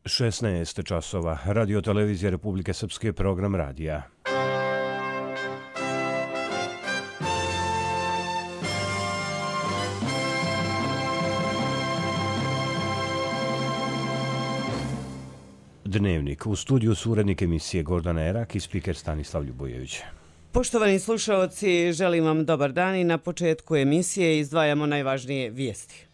16 časova. Radio televizija Republike Srpske, program radija. Dnevnik. U studiju su urednik emisije Gordana Erak i spiker Stanislav Ljubojević. Poštovani slušaoci, želim vam dobar dan i na početku emisije izdvajamo najvažnije vijesti.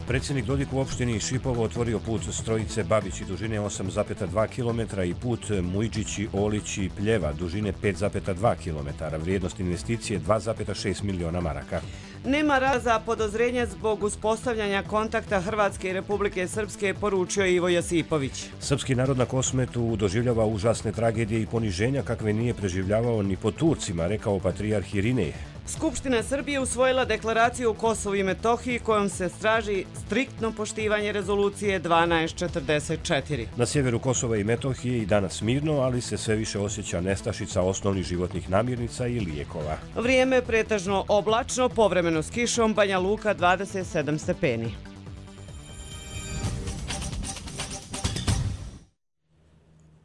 Predsjednik Dodik u opštini Šipovo otvorio put Strojice Babići dužine 8,2 km i put Mujđići Olići Pljeva dužine 5,2 km, vrijednost investicije 2,6 miliona maraka. Nema razloga za podozrenja zbog uspostavljanja kontakta Hrvatske i Republike Srpske, poručio Ivo Josipović. Srpski narod na Kosmetu doživljava užasne tragedije i poniženja kakve nije preživljavao ni po Turcima, rekao patrijarh Irinej. Skupština Srbije usvojila deklaraciju o Kosovu i Metohiji kojom se traži striktno poštivanje rezolucije 1244. Na sjeveru Kosova i Metohije i danas mirno, ali se sve više osjeća nestašica osnovnih životnih namirnica i lijekova. Vrijeme pretežno oblačno, povremeno s kišom, Banja Luka 27 stepeni.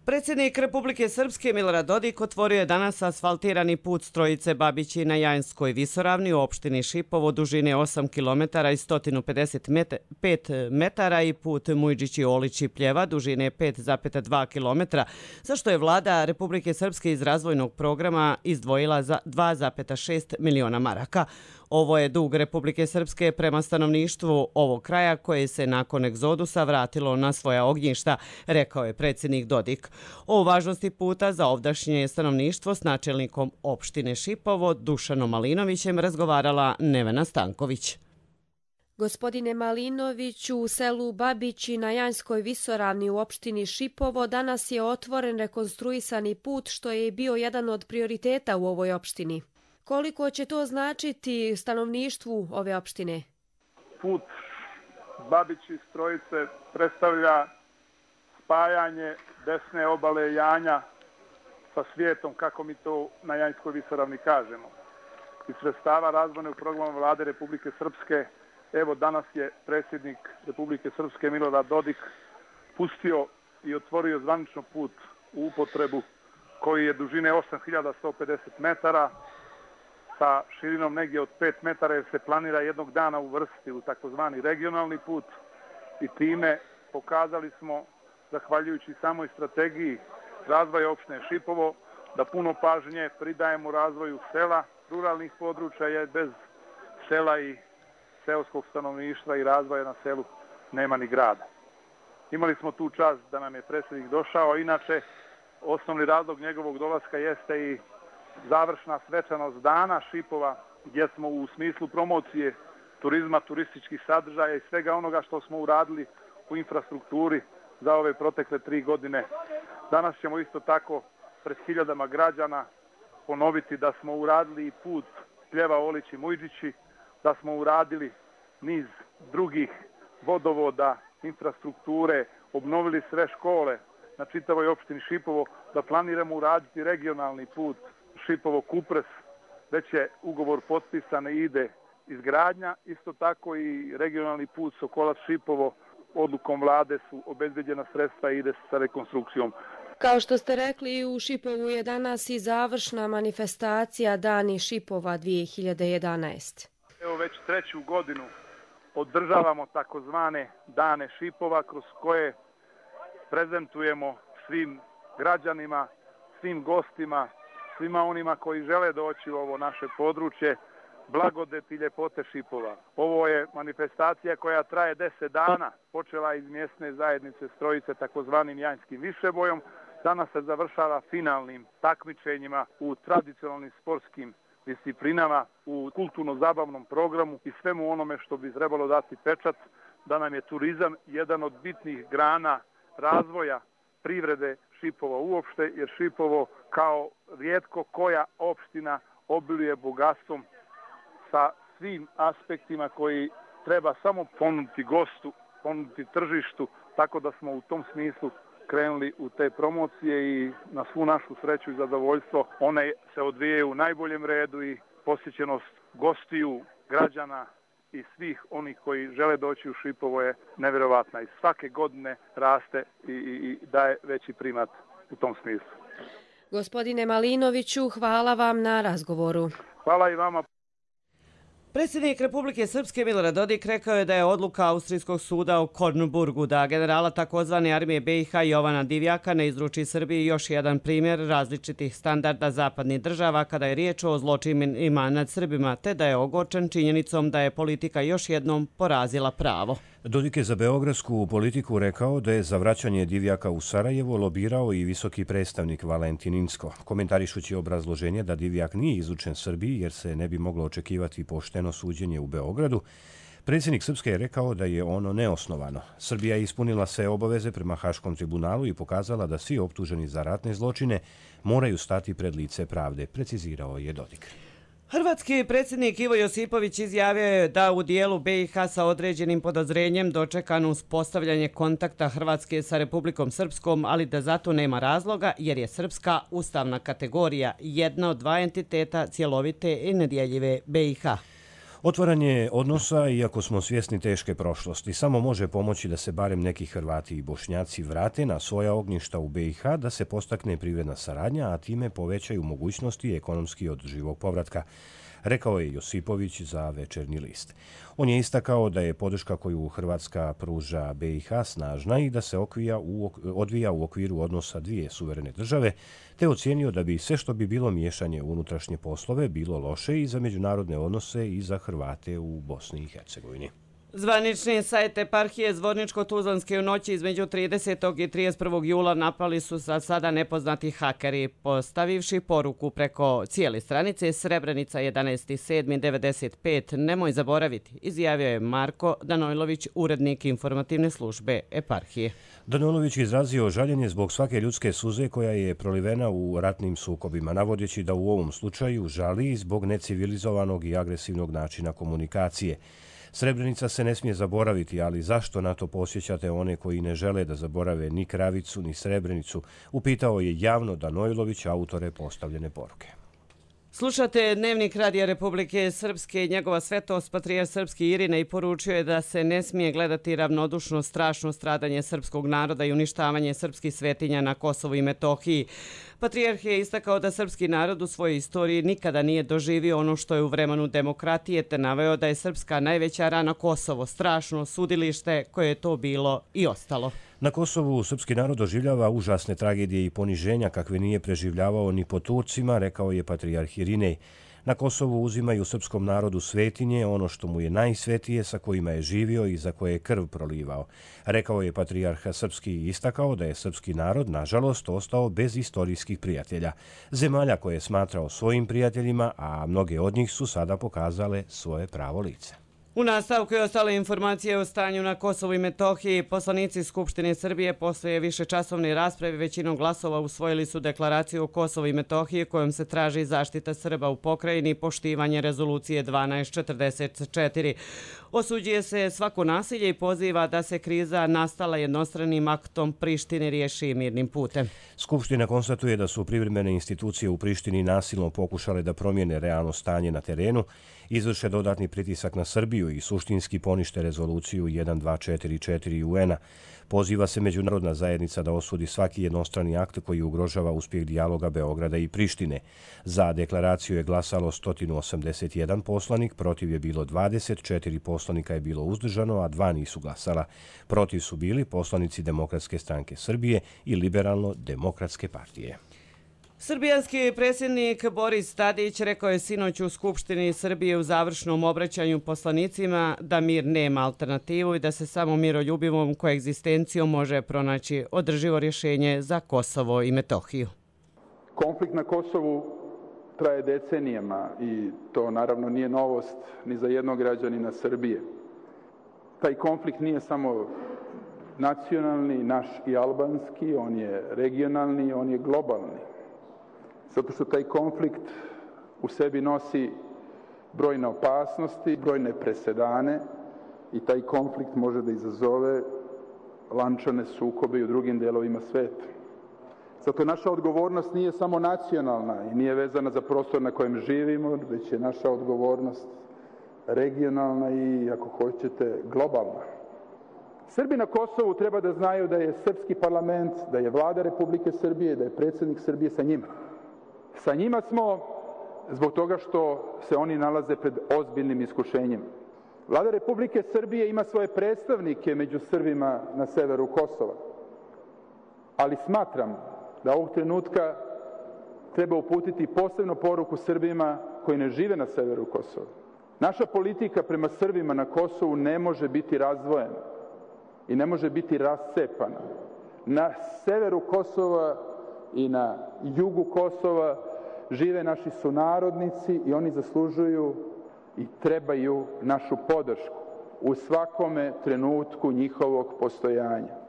Predsjednik Republike Srpske Milorad Dodik otvorio je danas asfaltirani put Strojice Babići na Jajanskoj visoravni u opštini Šipovo dužine 8 km i 155 metara i put Mujđići Olići Pljeva dužine 5,2 km, za što je vlada Republike Srpske iz razvojnog programa izdvojila za 2,6 miliona maraka. Ovo je dug Republike Srpske prema stanovništvu ovog kraja koje se nakon egzodusa vratilo na svoja ognjišta, rekao je predsjednik Dodik. O važnosti puta za ovdašnje stanovništvo s načelnikom opštine Šipovo Dušanom Malinovićem razgovarala Nevena Stanković. Gospodine Malinoviću, u selu Babići na Janjskoj visoravni u opštini Šipovo danas je otvoren rekonstruisani put što je bio jedan od prioriteta u ovoj opštini. Koliko će to značiti stanovništvu ove opštine? Put Babići Strojice predstavlja spajanje desne obale Janja sa svijetom, kako mi to na Janjskoj visoravni kažemo. Iz sredstava razvojnog programa vlade Republike Srpske, evo danas je predsjednik Republike Srpske Milorad Dodik pustio i otvorio zvanično put u upotrebu koji je dužine 8150 metara, sa širinom negdje od 5 metara, jer se planira jednog dana uvrstiti u takozvani regionalni put i time pokazali smo, zahvaljujući samoj strategiji razvoja opštine Šipovo, da puno pažnje pridajemo razvoju sela, ruralnih područja, jer bez sela i seoskog stanovništva i razvoja na selu nema ni grada. Imali smo tu čast da nam je predsjednik došao, inače osnovni razlog njegovog dolaska jeste i završna svečanost dana Šipova, gdje smo u smislu promocije turizma, turističkih sadržaja i svega onoga što smo uradili u infrastrukturi za ove protekle 3 godine. Danas ćemo isto tako pred hiljadama građana ponoviti da smo uradili i put Pljeva Olići Mujđići, da smo uradili niz drugih vodovoda, infrastrukture, obnovili sve škole na čitavoj opštini Šipovo, da planiramo uraditi regionalni put Šipovo-Kupres, već je ugovor potpisan i ide izgradnja. Isto tako i regionalni put Sokolac-Šipovo, odlukom vlade su obezbeđena sredstva i ide sa rekonstrukcijom. Kao što ste rekli, u Šipovu je danas i završna manifestacija Dani Šipova 2011. Evo već 3. godinu održavamo takozvane Dane Šipova, kroz koje prezentujemo svim građanima, svim gostima, svima onima koji žele doći u ovo naše područje, blagodeti i ljepote Šipova. Ovo je manifestacija koja traje 10 dana, počela iz mjesne zajednice Strojice takozvanim Janjskim višebojom, danas se završava finalnim takmičenjima u tradicionalnim sportskim disciplinama, u kulturno-zabavnom programu i svemu onome što bi trebalo dati pečat da nam je turizam jedan od bitnih grana razvoja privrede Šipova uopšte, jer Šipovo kao rijetko koja opština obiluje bogatstvom sa svim aspektima koji treba samo ponuditi gostu, ponuditi tržištu, tako da smo u tom smislu krenuli u te promocije i na svu našu sreću i zadovoljstvo one se odvijaju u najboljem redu i posjećenost gostiju, građana i svih onih koji žele doći u Šipovo je nevjerovatna i svake godine raste i daje veći primat u tom smislu. Gospodine Malinoviću, hvala vam na razgovoru. Hvala i vama. Predsjednik Republike Srpske Milorad Dodik rekao je da je odluka Austrijskog suda u Kornburgu da generala takozvane armije BiH Jovana Divjaka ne izruči Srbiji još jedan primjer različitih standarda zapadnih država kada je riječ o zločinima nad Srbima, te da je ogorčen činjenicom da je politika još jednom porazila pravo. Dodik je za beogradsku politiku rekao da je za vraćanje Divjaka u Sarajevo lobirao i visoki predstavnik Valentin Inzko, komentarišući obrazloženje da Divjak nije izučen Srbiji jer se ne bi moglo očekivati pošteno suđenje u Beogradu. Predsjednik Srpske je rekao da je ono neosnovano. Srbija je ispunila sve obaveze prema Haškom tribunalu i pokazala da svi optuženi za ratne zločine moraju stati pred lice pravde, precizirao je Dodik. Hrvatski predsjednik Ivo Josipović izjavio je da u dijelu BiH sa određenim podozrenjem dočekano uspostavljanje kontakta Hrvatske sa Republikom Srpskom, ali da zato nema razloga jer je srpska ustavna kategorija jedna od dva entiteta cjelovite i nedjeljive BiH. Otvaranje odnosa, iako smo svjesni teške prošlosti, samo može pomoći da se barem neki Hrvati i Bošnjaci vrate na svoja ognjišta u BiH, da se postakne privredna saradnja, a time povećaju mogućnosti ekonomski održivog povratka, rekao je Josipović za Večernji list. On je istakao da je podrška koju Hrvatska pruža BiH snažna i da se odvija u okviru odnosa dvije suverene države, te ocijenio da bi sve što bi bilo miješanje u unutrašnje poslove bilo loše i za međunarodne odnose i za Hrvate u Bosni i Hercegovini. Zvanični sajt eparhije Zvorničko-Tuzlanske u noći između 30. i 31. jula napali su za sada nepoznati hakeri, postavivši poruku preko cijele stranice Srebrenica 11.7.95. Nemoj zaboraviti, izjavio je Marko Danojlović, urednik informativne službe eparhije. Danojlović izrazio žaljenje zbog svake ljudske suze koja je prolivena u ratnim sukobima, navodeći da u ovom slučaju žali zbog necivilizovanog i agresivnog načina komunikacije. Srebrenica se ne smije zaboraviti, ali zašto na to posjećate one koji ne žele da zaborave ni Kravicu, ni Srebrenicu, upitao je javno Danojlović autore postavljene poruke. Slušate Dnevnik Radija Republike Srpske i njegova svetost patrijarh srpski Irinej poručio je da se ne smije gledati ravnodušno strašno stradanje srpskog naroda i uništavanje srpskih svetinja na Kosovu i Metohiji. Patrijarh je istakao da srpski narod u svojoj istoriji nikada nije doživio ono što je u vremenu demokratije, te naveo da je srpska najveća rana Kosovo, strašno sudilište koje je to bilo i ostalo. Na Kosovu srpski narod doživljava užasne tragedije i poniženja kakve nije preživljavao ni po Turcima, rekao je patrijarh Irinej. Na Kosovu uzimaju srpskom narodu svetinje, ono što mu je najsvetije, sa kojima je živio i za koje je krv prolivao. Rekao je patrijarh srpski i istakao da je srpski narod, nažalost, ostao bez istorijskih prijatelja. Zemalja koje je smatrao svojim prijateljima, a mnoge od njih su sada pokazale svoje pravo lice. U nastavku je ostale informacije o stanju na Kosovu i Metohiji. Poslanici Skupštine Srbije posle višečasovne rasprave većinom glasova usvojili su deklaraciju o Kosovu i Metohiji kojom se traži zaštita Srba u pokrajini i poštivanje rezolucije 1244. Osuđuje se svako nasilje i poziva da se kriza nastala jednostranim aktom Prištine riješi mirnim putem. Skupština konstatuje da su privremene institucije u Prištini nasilno pokušale da promijene realno stanje na terenu, izvrše dodatni pritisak na Srbiju i suštinski ponište rezoluciju 1244 UN-a. Poziva se međunarodna zajednica da osudi svaki jednostrani akt koji ugrožava uspjeh dijaloga Beograda i Prištine. Za deklaraciju je glasalo 181 poslanik, protiv je bilo 24 poslanika je bilo uzdržano, a 2 nisu glasala. Protiv su bili poslanici Demokratske stranke Srbije i Liberalno-demokratske partije. Srbijanski predsjednik Boris Tadić rekao je sinoć u Skupštini Srbije u završnom obraćanju poslanicima da mir nema alternativu i da se samo miroljubivom koegzistencijom može pronaći održivo rješenje za Kosovo i Metohiju. Konflikt na Kosovu traje decenijama i to naravno nije novost ni za jednog građanina Srbije. Taj konflikt nije samo nacionalni, naš i albanski, on je regionalni, on je globalni. Zato što taj konflikt u sebi nosi brojne opasnosti, brojne presedane i taj konflikt može da izazove lančane sukobe i u drugim delovima sveta. Zato naša odgovornost nije samo nacionalna i nije vezana za prostor na kojem živimo, već je naša odgovornost regionalna i, ako hoćete, globalna. Srbi na Kosovu treba da znaju da je srpski parlament, da je vlada Republike Srbije, da je predsjednik Srbije sa njima. Sa njima smo zbog toga što se oni nalaze pred ozbiljnim iskušenjima. Vlada Republike Srbije ima svoje predstavnike među Srbima na severu Kosova, ali smatram da ovog trenutka treba uputiti posebnu poruku Srbima koji ne žive na severu Kosova. Naša politika prema Srbima na Kosovu ne može biti razdvojena i ne može biti rascepana. Na severu Kosova i na jugu Kosova žive naši sunarodnici i oni zaslužuju i trebaju našu podršku u svakome trenutku njihovog postojanja.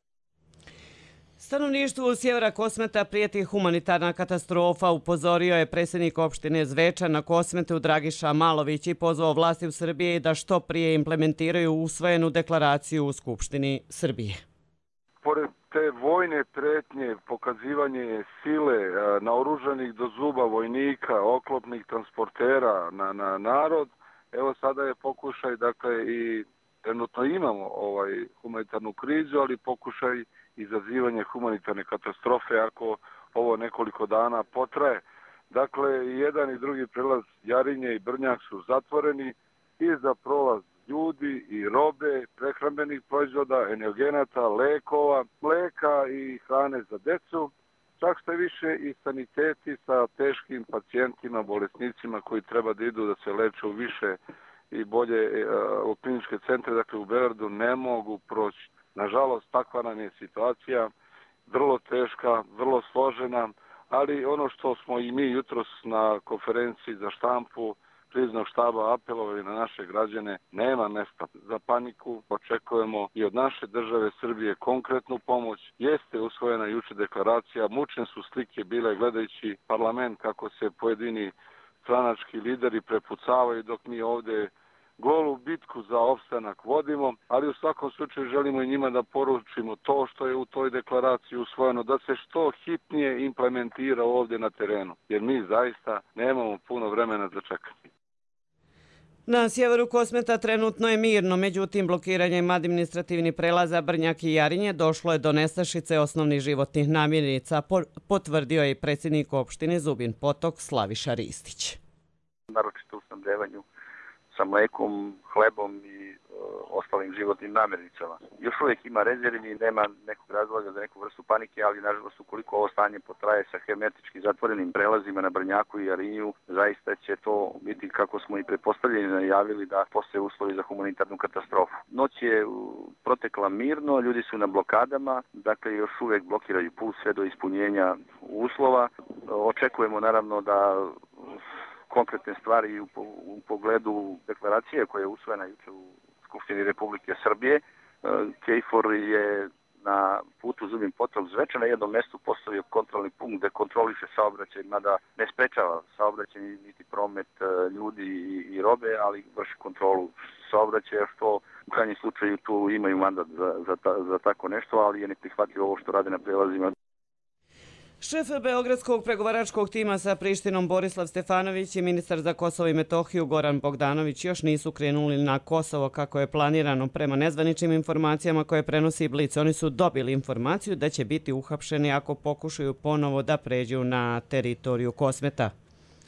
Stanovništvu sjevera Kosmeta prijeti humanitarna katastrofa, upozorio je predsjednik opštine Zvečan na Kosmetu Dragiša Malović i pozvao vlasti u Srbiji da što prije implementiraju usvojenu deklaraciju u Skupštini Srbije. Pored te vojne pretnje, pokazivanje sile, naoružanih do zuba vojnika, oklopnih transportera na narod, evo sada je pokušaj, dakle i trenutno imamo humanitarnu krizu, ali pokušaj izazivanje humanitarne katastrofe ako ovo nekoliko dana potraje. Dakle, jedan i drugi prelaz Jarinje i Brnjak su zatvoreni i za prolaz ljudi i robe, prehrambenih proizvoda, energenata, lekova, mleka i hrane za decu. Čak što je više i saniteti sa teškim pacijentima, bolesnicima koji treba da idu da se leče u više i bolje u kliničke centre, dakle u Beogradu, ne mogu proći. Nažalost, takva nam je situacija, vrlo teška, vrlo složena, ali ono što smo i mi jutros na konferenciji za štampu kriznog štaba apelovali na naše građane, nema mesta za paniku. Očekujemo i od naše države Srbije konkretnu pomoć. Jeste usvojena juče deklaracija, mučne su slike bile gledajući parlament kako se pojedini stranački lideri prepucavaju dok mi ovdje golu bitku za opstanak vodimo, ali u svakom slučaju želimo i njima da poručimo to što je u toj deklaraciji usvojeno, da se što hitnije implementira ovdje na terenu, jer mi zaista nemamo puno vremena za čekanje. Na sjeveru Kosmeta trenutno je mirno, međutim blokiranjem administrativnih prelaza Brnjak i Jarinje došlo je do nestašice osnovnih životnih namirnica, potvrdio je i predsjednik opštine Zubin Potok Slaviša Ristić. Naročito u snabdevanju sa mlekom, hlebom i ostalim životnim namirnicama. Još uvijek ima rezervi, nema nekog razloga za neku vrstu panike, ali nažalost ukoliko ovo stanje potraje sa hermetički zatvorenim prelazima na Brnjaku i Jarinju, zaista će to biti, kako smo i pretpostavljeni najavili, da postoje uslovi za humanitarnu katastrofu. Noć je protekla mirno, ljudi su na blokadama, dakle još uvijek blokiraju put sve do ispunjenja uslova. Očekujemo naravno da konkretne stvari u pogledu deklaracije koja je usvojena juče u Skupštini Republike Srbije. KFOR je na putu Zubin Potok Zvečan na jednom mjestu postavio kontrolni punkt gdje kontroliše saobraćaj, mada ne sprečava saobraćaj niti promet ljudi i robe, ali vrši kontrolu saobraćaja, što u krajnjem slučaju tu imaju mandat za tako nešto, ali je neprihvatljivo ovo što rade na prelazima. Šef Beogradskog pregovaračkog tima sa Prištinom Borislav Stefanović i ministar za Kosovo i Metohiju Goran Bogdanović još nisu krenuli na Kosovo kako je planirano. Prema nezvaničnim informacijama koje prenosi Blic, oni su dobili informaciju da će biti uhapšeni ako pokušaju ponovo da pređu na teritoriju Kosmeta.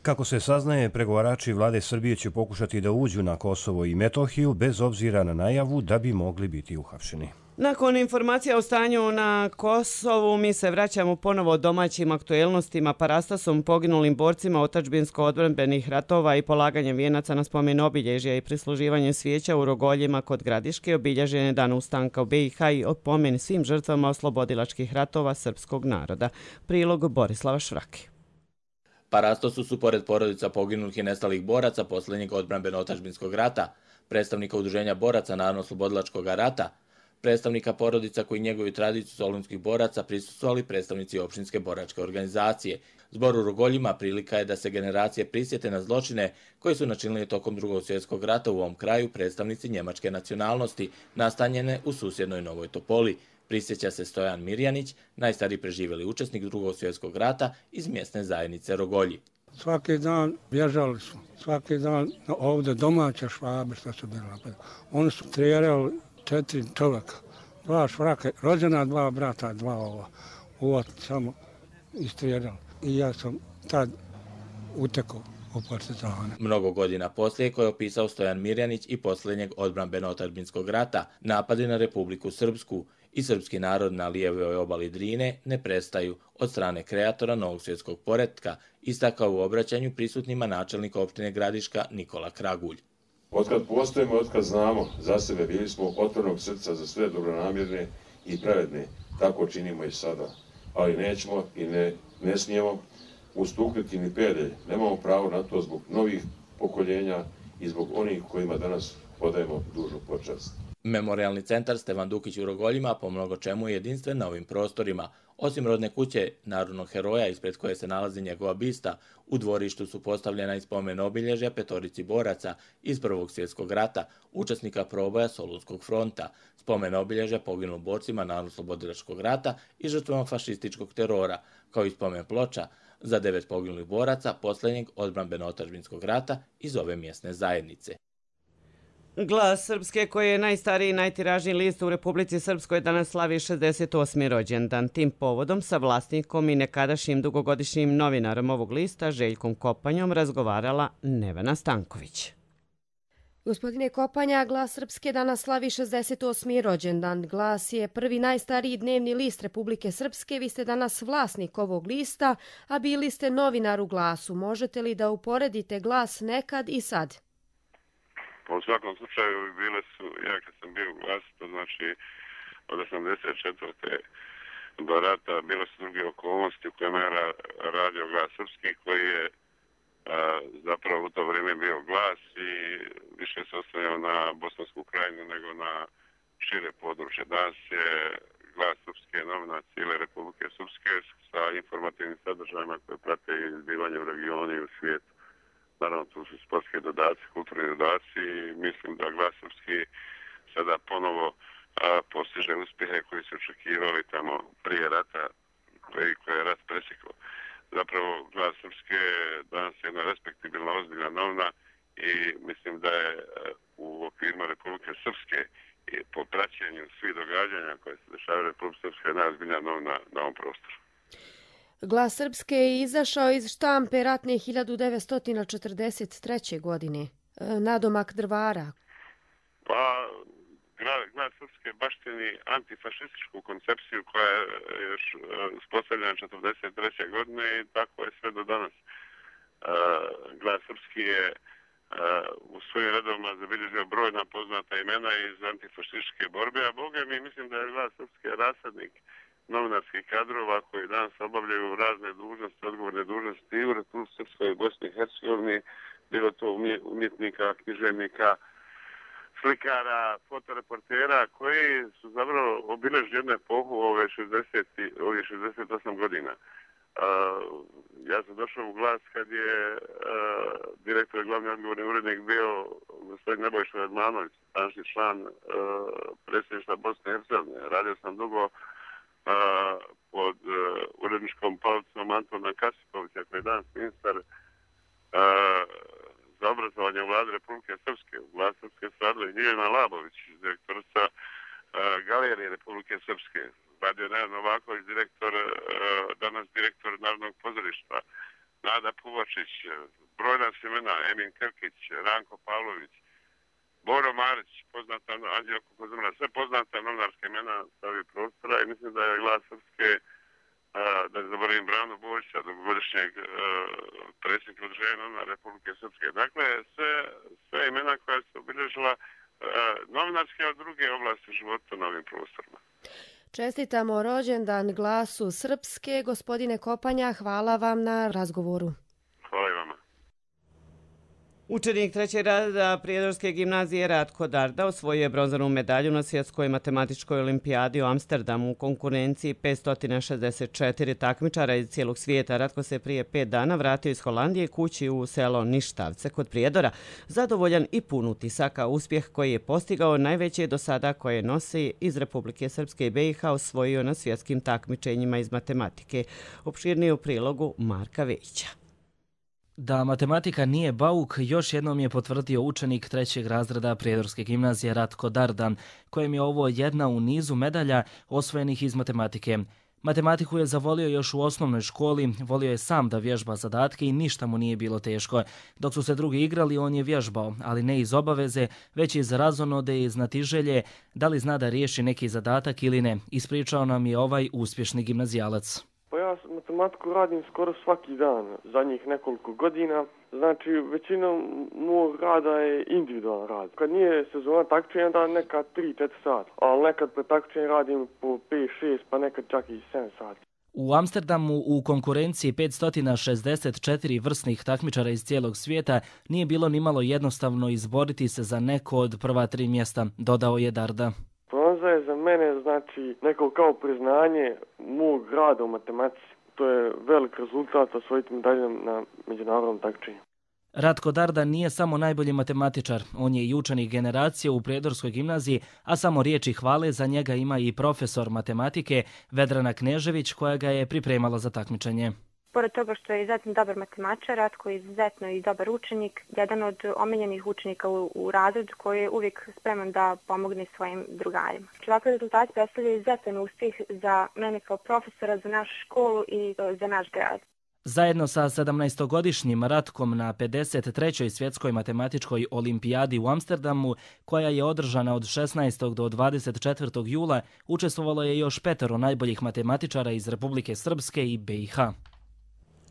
Kako se saznaje, pregovarači vlade Srbije će pokušati da uđu na Kosovo i Metohiju bez obzira na najavu da bi mogli biti uhapšeni. Nakon informacija o stanju na Kosovu, mi se vraćamo ponovo domaćim aktuelnostima, parastasom, poginulim borcima otadžbinsko-odbrambenih ratova i polaganjem vijenaca na spomen obilježja i prisluživanjem svijeća u Rogoljima kod Gradiške obilježen je dan ustanka u BiH i opomen svim žrtvama oslobodilačkih ratova srpskog naroda. Prilog Borislava Švrake. Parastosu su pored porodica poginulih i nestalih boraca posljednjeg odbrambeno-otadžbinskog rata, predstavnika udruženja boraca Narodno-oslobodilačkog rata, predstavnika porodica koji njeguju tradiciju solunskih boraca prisustvovali predstavnici opštinske boračke organizacije. Zbor u Rogoljima prilika je da se generacije prisjete na zločine koji su načinili tokom Drugog svjetskog rata u ovom kraju predstavnici njemačke nacionalnosti, nastanjene u susjednoj Novoj Topoli, Prisjeća se Stojan Mirjanić, najstariji preživjeli učesnik Drugog svjetskog rata iz mjesne zajednice Rogolji. Svaki dan bježali su, svaki dan ovdje domaće Švabe što su bili napad. Oni su trijerali 4 čovjeka, 2 švrake, rođena 2 brata, 2 ova. Uvod samo istrijerali. I ja sam tad utekao u partizane. Mnogo godina poslije, koje je opisao Stojan Mirjanić i posljednjeg odbrambeno-otadžbinskog rata, napadi na Republiku Srpsku i srpski narod na lijevoj obali Drine ne prestaju od strane kreatora novog svjetskog poretka, istakao u obraćanju prisutnima načelnik opštine Gradiška Nikola Kragulj. Otkad postojimo, otkad znamo za sebe, bili smo otvorenog srca za sve dobronamjerne i pravedne, tako činimo i sada. Ali nećemo i ne smijemo ustupiti ni pedalj, nemamo pravo na to zbog novih pokoljenja i zbog onih kojima danas odajemo dužnu počast. Memorijalni centar Stevan Dukić u Rogoljima po mnogo čemu je jedinstven na ovim prostorima. Osim rodne kuće narodnog heroja ispred koje se nalazi njegova bista, u dvorištu su postavljena i spomen obilježja petorici boraca iz Prvog svjetskog rata, učesnika proboja Solunskog fronta, spomen obilježja poginulim borcima Narodnooslobodilačkog rata i žrtvama fašističkog terora, kao i spomen ploča za 9 poginulih boraca posljednjeg odbrambeno-otadžbinskog rata iz ove mjesne zajednice. Glas Srpske, koji je najstariji i najtiražniji list u Republici Srpskoj, danas slavi 68. rođendan. Tim povodom sa vlasnikom i nekadašnjim dugogodišnjim novinarom ovog lista, Željkom Kopanjom, razgovarala Nevena Stanković. Gospodine Kopanja, Glas Srpske danas slavi 68. rođendan. Glas je prvi najstariji dnevni list Republike Srpske. Vi ste danas vlasnik ovog lista, a bili ste novinar u Glasu. Možete li da uporedite Glas nekad i sad? U svakom slučaju bile su, ja kad sam bio u Glasu, to znači od 84. do rata, bile su druge okolnosti u kojima je radio Glas Srpski, koji je zapravo u to vrijeme bio Glas i više se ostavljao na Bosansku krajinu nego na šire područje. Danas je Glas Srpske novina cijele Republike Srpske sa informativnim sadržajima koje prate izbivanje u regionu i u svijetu. Naravno, tu su sportske dodaci, kulturni dodaci i mislim da Glas Srpski sada ponovo postiže uspjehe koji su očekivali tamo prije rata, koje je rat presjeklo. Zapravo, Glas Srpske danas je jedna respektibilna, ozbiljna novina i mislim da je u okvirima Republike Srpske i po praćenju svih događanja koje se dešavaju u Republike Srpske najozbiljnija novina na ovom prostoru. Glas Srpske je izašao iz štampe ratne 1943. godine. Nadomak Drvara. Pa, Glas Srpske baštini antifašističku koncepciju koja je još uspostavljena 1943. godine i tako je sve do danas. Glas Srpski je u svojim redovima zabilježio brojna poznata imena iz antifašističke borbe, a boga mi mislim da je Glas Srpski rasadnik novinarskih kadrova koji danas obavljaju razne dužnosti, odgovorne dužnosti i u Republici Srpskoj i Bosni i Hercegovini, bilo to umjetnika, književnika, slikara, fotoreportera koji su zapravo obilježili jednu epohu ovih 68 godina. Ja sam došao u Glas kad je direktor i glavni odgovorni urednik bio gospodin Nebojša Radmanović, današnji član predsjedništva Bosne i Hercegovine. Radio sam dugo pod uredničkom palicom Antona Kasipovića, koji je danas ministar za obrazovanje u vladi Republike Srpske. U vladi Srpske su radila i Ljiljana Labović, direktorica Galerije Republike Srpske. Radio Nejan Novaković, danas direktor Narodnog pozorišta. Nada Puvačić, brojna imena, Emin Krkić, Ranko Pavlović, Boro Marić, poznata Anđelko Kozumra, sve poznata novinarska imena sa ovih prostora i mislim da je Glas Srpske, da ne zaboravim Branu Bojića, dugogodišnjeg predsjednika udruženja novinara Republike Srpske. Dakle, sve imena koja su obilježila novinarske od druge oblasti života na ovim prostorima. Čestitamo rođendan Glasu Srpske. Gospodine Kopanja, hvala vam na razgovoru. Hvala i vama. Učenik trećeg razreda Prijedorske gimnazije Ratko Darda osvojio je bronzanu medalju na svjetskoj matematičkoj olimpijadi u Amsterdamu u konkurenciji 564 takmičara iz cijelog svijeta. Ratko se prije 5 dana vratio iz Holandije kući u selo Ništavce kod Prijedora, zadovoljan i pun utisaka. Uspjeh koji je postigao najveći do sada koje nosi iz Republike Srpske i BiH osvojio na svjetskim takmičenjima iz matematike. Opširnije u prilogu Marka Vejića. Da matematika nije bauk, još jednom je potvrdio učenik trećeg razreda Prijedorske gimnazije Ratko Dardan, kojem je ovo jedna u nizu medalja osvojenih iz matematike. Matematiku je zavolio još u osnovnoj školi, volio je sam da vježba zadatke i ništa mu nije bilo teško. Dok su se drugi igrali, on je vježbao, ali ne iz obaveze, već iz razonode i znatiželje, da li zna da riješi neki zadatak ili ne. Ispričao nam je ovaj uspješni gimnazijalac. Pa ja matematiku radim skoro svaki dan, zadnjih nekoliko godina. Znači, većina mog rada je individualan rad. Kad nije sezona takmičenja, da nekad 3-4 sata, ali nekad pre takmičenja radim po 5-6, pa nekad čak i 7 sati. U Amsterdamu u konkurenciji 564 vrsnih takmičara iz cijelog svijeta nije bilo nimalo jednostavno izboriti se za neko od prva 3 mjesta, dodao je Darda. Bronza je za mene znači neko kao priznanje mog rada u matematici. To je velik rezultat osvojiti medalju na međunarodnom takmičenju. Ratko Darda nije samo najbolji matematičar, on je i učenik generacije u Prijedorskoj gimnaziji, a samo riječi hvale za njega ima i profesor matematike Vedrana Knežević koja ga je pripremala za takmičenje. Pored toga što je izuzetno dobar matematičar, Ratko je izuzetno i dobar učenik, jedan od omiljenih učenika u razredu koji je uvijek spreman da pomogne svojim drugarima. Ovakvi rezultati predstavljaju izuzetan uspjeh za mene kao profesora, za našu školu i za naš grad. Zajedno sa 17-godišnjim Ratkom na 53. svjetskoj matematičkoj olimpijadi u Amsterdamu, koja je održana od 16. do 24. jula, učestvovalo je još 5 najboljih matematičara iz Republike Srpske i BiH.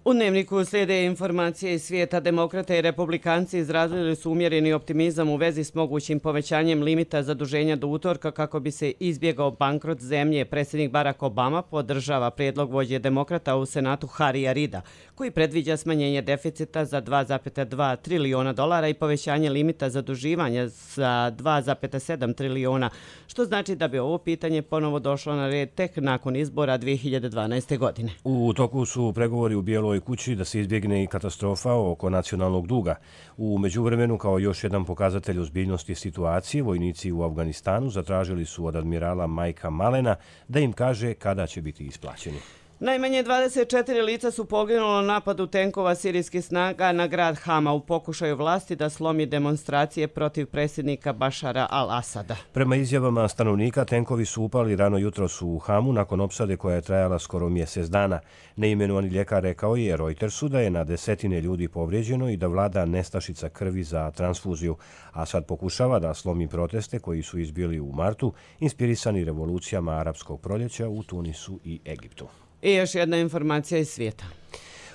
U Dnevniku slijede informacije iz svijeta. Demokrate i republikanci izrazili su umjereni optimizam u vezi s mogućim povećanjem limita zaduženja do utorka kako bi se izbjegao bankrot zemlje. Predsjednik Barack Obama podržava prijedlog vođe demokrata u Senatu Harrya Reida, koji predviđa smanjenje deficita za 2,2 trilijuna dolara i povećanje limita zaduživanja za 2,7 trilijuna, što znači da bi ovo pitanje ponovo došlo na red tek nakon izbora 2012. godine. U toku su pregovori u Bijeloj kući da se izbjegne i katastrofa oko nacionalnog duga. U međuvremenu, kao još jedan pokazatelj ozbiljnosti situacije, vojnici u Afganistanu zatražili su od admirala Majka Malena da im kaže kada će biti isplaćeni. Najmanje 24 lica su poginulo na napadu tenkova sirijskih snaga na grad Hama u pokušaju vlasti da slomi demonstracije protiv predsjednika Bašara al-Asada. Prema izjavama stanovnika, tenkovi su upali rano jutros u Hamu nakon opsade koja je trajala skoro mjesec dana. Neimenovani ljekar rekao je Reutersu da je na desetine ljudi povrijeđeno i da vlada nestašica krvi za transfuziju. Asad pokušava da slomi proteste koji su izbili u martu, inspirisani revolucijama arapskog proljeća u Tunisu i Egiptu. I još jedna informacija iz svijeta.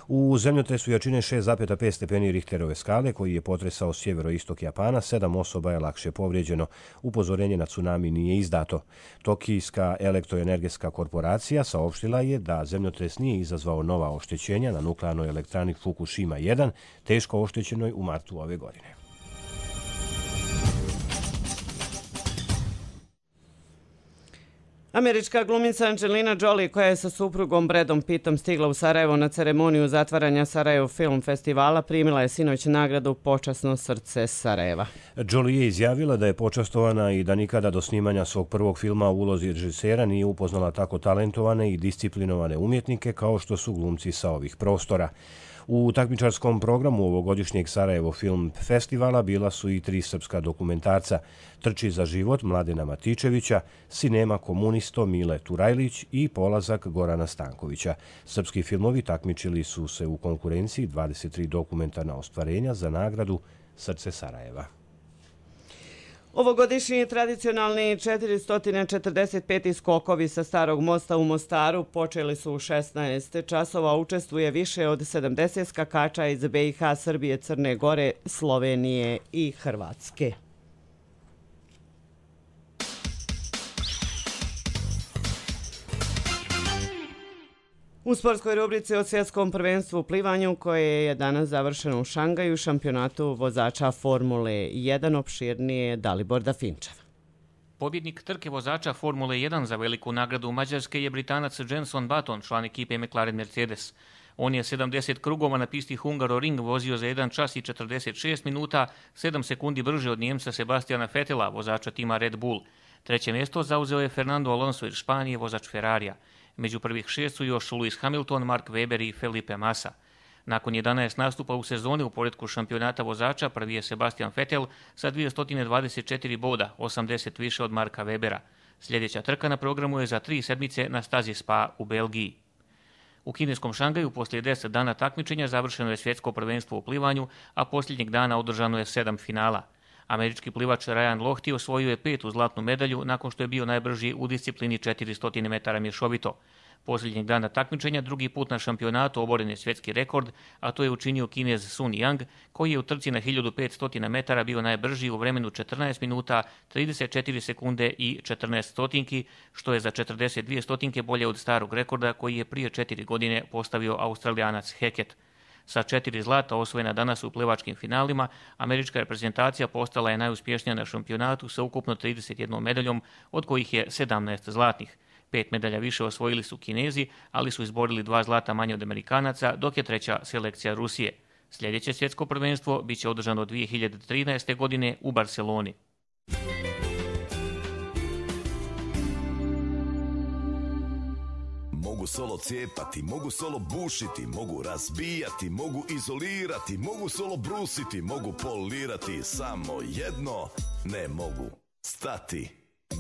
U zemljotresu jačine 6,5 stepeni Richterove skale koji je potresao sjeveroistok Japana, 7 osoba je lakše povrijeđeno. Upozorenje na tsunami nije izdato. Tokijska elektroenergetska korporacija saopštila je da zemljotres nije izazvao nova oštećenja na nuklearnoj elektrani Fukushima 1, teško oštećenoj u martu ove godine. Američka glumica Angelina Jolie, koja je sa suprugom Bradom Pittom stigla u Sarajevo na ceremoniju zatvaranja Sarajevo Film Festivala, primila je sinoć nagradu Počasno srce Sarajeva. Jolie je izjavila da je počastovana i da nikada do snimanja svog prvog filma u ulozi režisera nije upoznala tako talentovane i disciplinovane umjetnike kao što su glumci sa ovih prostora. U takmičarskom programu ovogodišnjeg Sarajevo Film Festivala bila su i 3 srpska dokumentarca: Trči za život Mladena Matičevića, Sinema komunisto Mile Turajlić i Polazak Gorana Stankovića. Srpski filmovi takmičili su se u konkurenciji 23 dokumentarna ostvarenja za nagradu Srce Sarajeva. Ovogodišnji tradicionalni 445. skokovi sa Starog mosta u Mostaru počeli su u 16 časova. Učestvuje više od 70 skakača iz BiH, Srbije, Crne Gore, Slovenije i Hrvatske. U sportskoj rubrici o svjetskom prvenstvu u plivanju koje je danas završeno u Šangaju, šampionatu vozača Formule 1 opširnije je Dalibor Dafinčev. Pobjednik trke vozača Formule 1 za veliku nagradu Mađarske je Britanac Jenson Button, član ekipe McLaren Mercedes. On je 70 krugova na pisti Hungaroring vozio za 1 čas i 46 minuta, 7 sekundi brže od Njemca Sebastiana Vettela, vozača tima Red Bull. Treće mjesto zauzeo je Fernando Alonso iz Španije, vozač Ferrarija. Među prvih 6 su još Lewis Hamilton, Mark Webber i Felipe Massa. Nakon 11 nastupa u sezoni u poretku šampionata vozača, prvi je Sebastian Vettel sa 224 boda, 80 više od Marka Webera. Sljedeća trka na programu je za 3 sedmice na stazi Spa u Belgiji. U kineskom Šangaju poslije 10 dana takmičenja završeno je svjetsko prvenstvo u plivanju, a posljednjeg dana održano je 7 finala. Američki plivač Ryan Lochte osvojio je 5. zlatnu medalju nakon što je bio najbrži u disciplini 400 metara mješovito. Posljednjeg dana takmičenja drugi put na šampionatu oboren je svjetski rekord, a to je učinio Kinez Sun Yang, koji je u trci na 1500 metara bio najbrži u vremenu 14 minuta, 34 sekunde i 14 stotinki, što je za 42 stotinke bolje od starog rekorda koji je prije 4 godine postavio Australijanac Hackett. Sa 4 zlata osvojena danas u plivačkim finalima, američka reprezentacija postala je najuspješnija na šampionatu sa ukupno 31 medaljom, od kojih je 17 zlatnih. 5 medalja više osvojili su Kinezi, ali su izborili 2 zlata manje od Amerikanaca, dok je treća selekcija Rusije. Sljedeće svjetsko prvenstvo bit će održano 2013. godine u Barceloni. Mogu solo cijepati, mogu solo bušiti, mogu razbijati, mogu izolirati, mogu solo brusiti, mogu polirati, samo jedno ne mogu stati.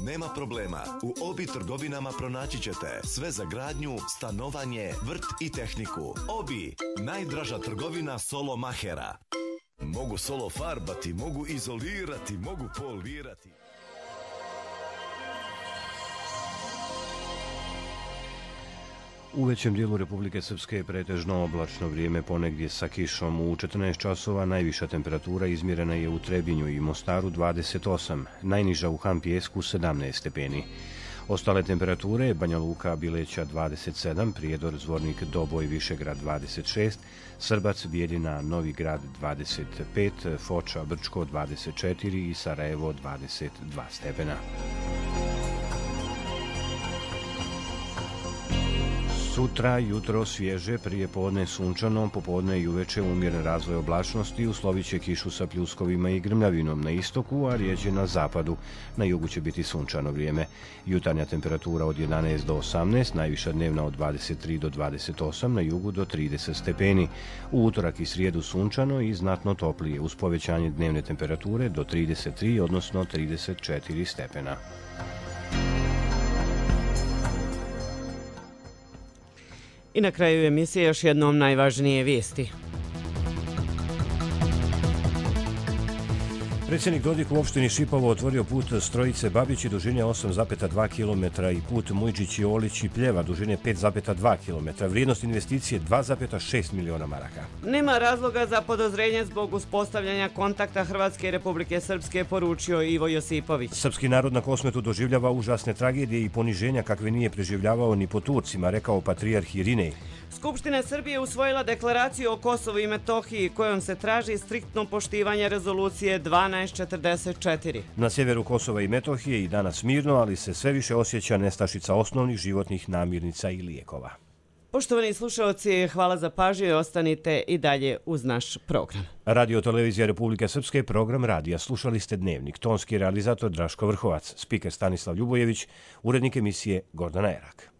Nema problema, u Obi trgovinama pronaći ćete sve za gradnju, stanovanje, vrt i tehniku. Obi, najdraža trgovina solo mahera. Mogu solo farbati, mogu izolirati, mogu polirati. U većem dijelu Republike Srpske je pretežno oblačno vrijeme, ponegdje sa kišom. U 14 časova najviša temperatura izmjerena je u Trebinju i Mostaru 28, najniža u Hampijesku 17 stepeni. Ostale temperature: Banja Luka, Bileća 27, Prijedor, Zvornik, Doboj, Višegrad 26, Srbac, Bijeljina, Novi Grad 25, Foča, Brčko 24 i Sarajevo 22 stepena. Sutra jutro svježe, prije podne sunčano, popodne i uveče umjeren razvoj oblačnosti, uslovit će kišu sa pljuskovima i grmljavinom na istoku, a rijeđe na zapadu. Na jugu će biti sunčano vrijeme. Jutarnja temperatura od 11 do 18, najviša dnevna od 23 do 28, na jugu do 30 stepeni. U utorak i srijedu sunčano i znatno toplije, uz povećanje dnevne temperature do 33, odnosno 34 stepena. I na kraju emisije još jednom najvažnije vijesti. Predsjednik Dodik u opštini Šipovo otvorio put Strojice Babići dužine 8,2 km i put Mujđići Olići Pljeva dužine 5,2 km. Vrijednost investicije 2,6 miliona maraka. Nema razloga za podozrenje zbog uspostavljanja kontakta Hrvatske i Republike Srpske, poručio Ivo Josipović. Srpski narod na Kosmetu doživljava užasne tragedije i poniženja kakve nije preživljavao ni po Turcima, rekao patrijarh Irinej. Skupština Srbije usvojila deklaraciju o Kosovu i Metohiji kojom se traži striktno poštivanje rezolucije 1244. Na sjeveru Kosova i Metohije i danas mirno, ali se sve više osjeća nestašica osnovnih životnih namirnica i lijekova. Poštovani slušalci, hvala za pažnju i ostanite i dalje uz naš program. Radio Televizija Republike Srpske, program radija. Slušali ste Dnevnik. Tonski realizator Draško Vrhovac, spiker Stanislav Ljubojević, urednik emisije Gordana Erak.